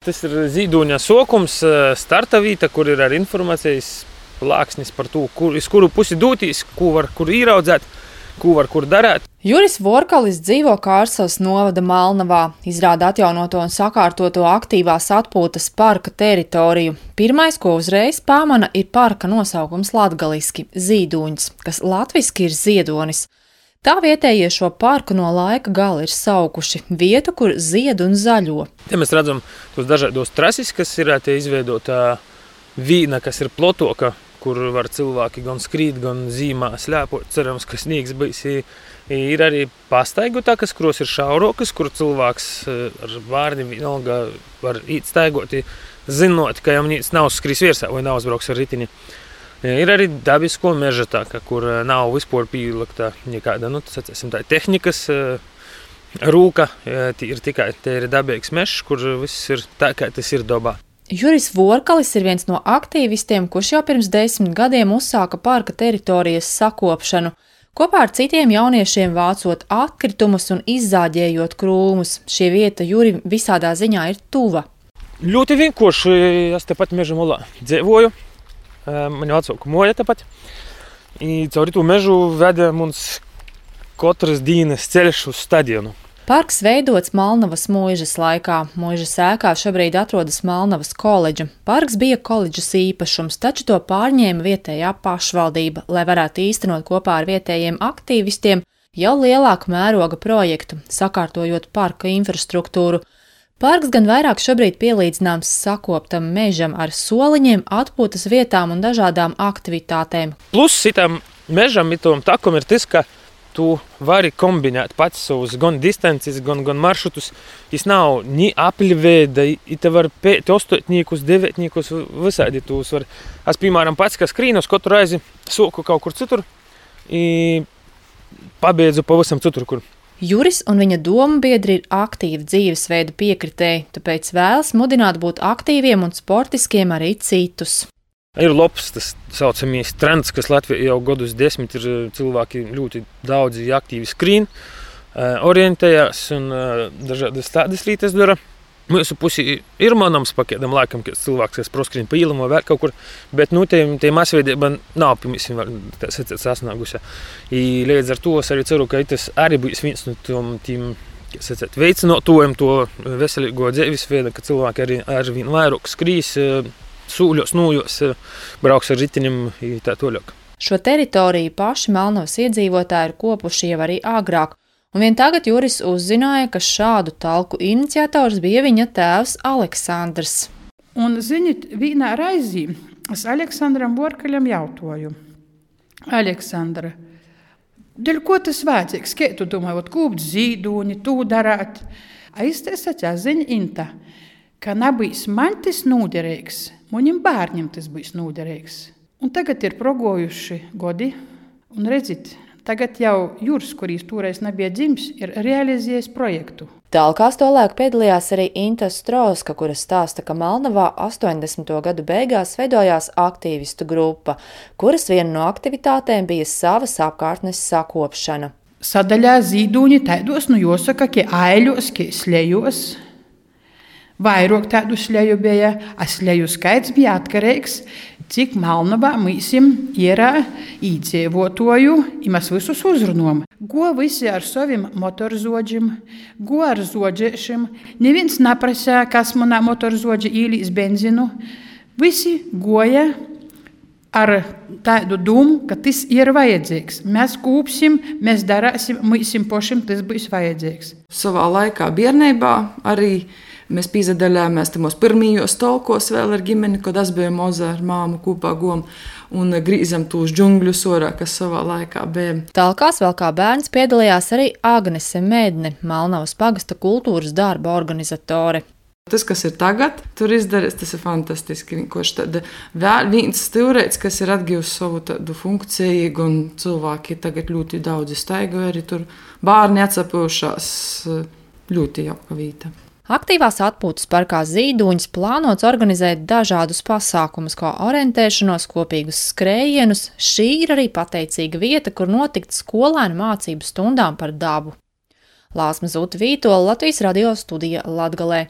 Tas ir Zīduņa sokums, starta vīta, kur ir ar informācijas plāksnis par to, uz kuru pusi dūtīs, kur īraudzēt, kur darēt. Juris Vorkalis dzīvo Kārsavas novada Malnavā, izrāda atjaunoto un sakārtoto aktīvās atpūtas parka teritoriju. Pirmais, ko uzreiz pamana, ir parka nosaukums latgaliski – Zīduņs, kas latviski ir ziedonis. Tā vietējie šo parku no laika gala ir saukuši vietu, kur zied un zaļo. Te mēs redzam tos dažādos trasis, kas ir izveidota vīna, kas ir plotoka, kur var cilvēki gan skrīt, gan zīmā slēpot. Cerams, ka sniegs bijis. Ir arī pastaigotākas, kuros ir šaurokas, kur cilvēks ar vārniem vienalga var īt staigot, zinot, ka jau nīc nav skris virsā vai nav uzbrauks ar ritini. Ir arī dabisko meža tāka, kur nav vispār pīlakta nekāda, tā tehnikas rūka, ir tikai te ir dabīgs mežs, kur viss ir tā, kā tas ir dabā. Juris Vorkalis ir viens no aktīvistiem, kurš jau pirms 10 gadiem uzsāka parka teritorijas sakopšanu, kopā ar citiem jauniešiem vācot atkritumus un izzāģējot krūmus. Šie vieta Jurim visādā ziņā ir tuva. Ļoti vienkārši, es tepat meža malā dzīvoju. Mani vecāku moja tepat. Cauri to mežu veda mums katras dienas ceļš uz stadionu. Parks veidots Malnavas mūžas laikā. Mūžas ēkā šobrīd atrodas Malnavas koledža. Parks bija koledžas īpašums, taču to pārņēma vietējā pašvaldība, lai varētu īstenot kopā ar vietējiem aktīvistiem jau lielāku mēroga projektu, sakārtojot parka infrastruktūru. Parks gan vairāk šobrīd pielīdzināms sakoptam mežam ar soliņiem, atpūtas vietām un dažādām aktivitātēm. Plus šitam mežam itom takum ir tas, ka tu vari kombinēt pats savus gan distances, gan maršrutus. Tas nav ni apļveida, te var pēt ostotniekus, devetniekus, visādi tūs var. Es, piemēram, pats, ka skrīnos katru reizi soku kaut kur citur i pabeidzu pavisam citur, kur. Juris un viņa dombiedri ir aktīvi dzīvesveida piekritēji, tāpēc vēlas mudināt būt aktīviem un sportiskiem arī citus. Ir labs tas saucamies trends, kas Latvijā jau gadus 10 ir cilvēki ļoti daudzi aktīvi skrīn, orientējās un dažādas tādas lietas dara. Mūsu pusi ir manams pakēdam laikam, kad cilvēks, kas proskrīn pa īlam vai vēl kaut kur, bet te masveidība nav pirmīsim vēl sasnāgusi. Līdz ar to es arī ceru, ka tas arī būs viens no tiem veicinotojiem to veselīgo dzīvesveidu, ka cilvēki arī ar vien vairāk skrīs, sūļos, nūjos, brauks ar ritinim tā toļāk. Šo teritoriju paši Malnavas iedzīvotāji ir kopuši jau arī agrāk. Un vien tagad Juris uzzināja, ka šādu talku iniciators bija viņa tēvs Aleksandrs. Un, ziniet, vienā raizī es Aleksandram Vorkaļam jautāju. Aleksandra, dēļ ko tas vajadzīgs? Kā tu domā, kūpt zīdūni, tū darāt? Es te sacīju, zini, Inta, ka nebūs man tas nūderīgs, manim bērniem tas būs nūderīgs. Un tagad ir progojuši godi, un redzit, tagad jau Juris, kurīs toreiz nebija dzimis, ir realizējis projektu. Talkās tolaik piedalījās arī Inta Strauska, kura stāsta, ka Malnavā 80. gadu beigās veidojās aktīvistu grupa, kuras viena no aktivitātēm bija savas apkārtnes sakopšana. Sadaļā Zīduņi taidos, jāsaka, ka aiļos, ka slejos. Vairāk tādu sleju bija, a sleju skaits bija atkarīgs, cik Malnavā mīsim ir īdzīvotoju, i mēs visus uzrunām. Go visi ar saviem motorzodžiem, go ar zodžēšiem. Neviens neprasīja, kas manā motorzodži īlīs benzinu. Visi goja ar tādu domu, ka tas ir vajadzīgs. Mēs kūpsim, mēs darāsim, mīsim pošim, tas būs vajadzīgs. Savā laikā bērnībā arī mēs pīzadaļājāmies tamos pirmījos talkos vēl ar ģimeni, kad es biju moza ar māmu kopā gom un grīzam tūs džungļus orā, kas savā laikā bija. Talkās vēl kā bērns piedalījās arī Agnese Medne, Malnavas pagasta kultūras darba organizatore. Tas, kas ir tagad, tur izdarīts, tas ir fantastiski. Vienkārši tāda vēl viens stūrēts, kas ir atgūs savu tādu funkciju, un cilvēki tagad ļoti daudzi staigoja, arī tur bērni atsapūšās, ļoti jauka vieta. Aktīvās atpūtas parkā Zīduņs plānots organizēt dažādus pasākumus, kā orientēšanos, kopīgus skrējienus. Šī ir arī pateicīga vieta, kur notikt skolēnu mācību stundām par dabu. Lāsma Zūta Vītola, Latvijas radio studija Latgalē.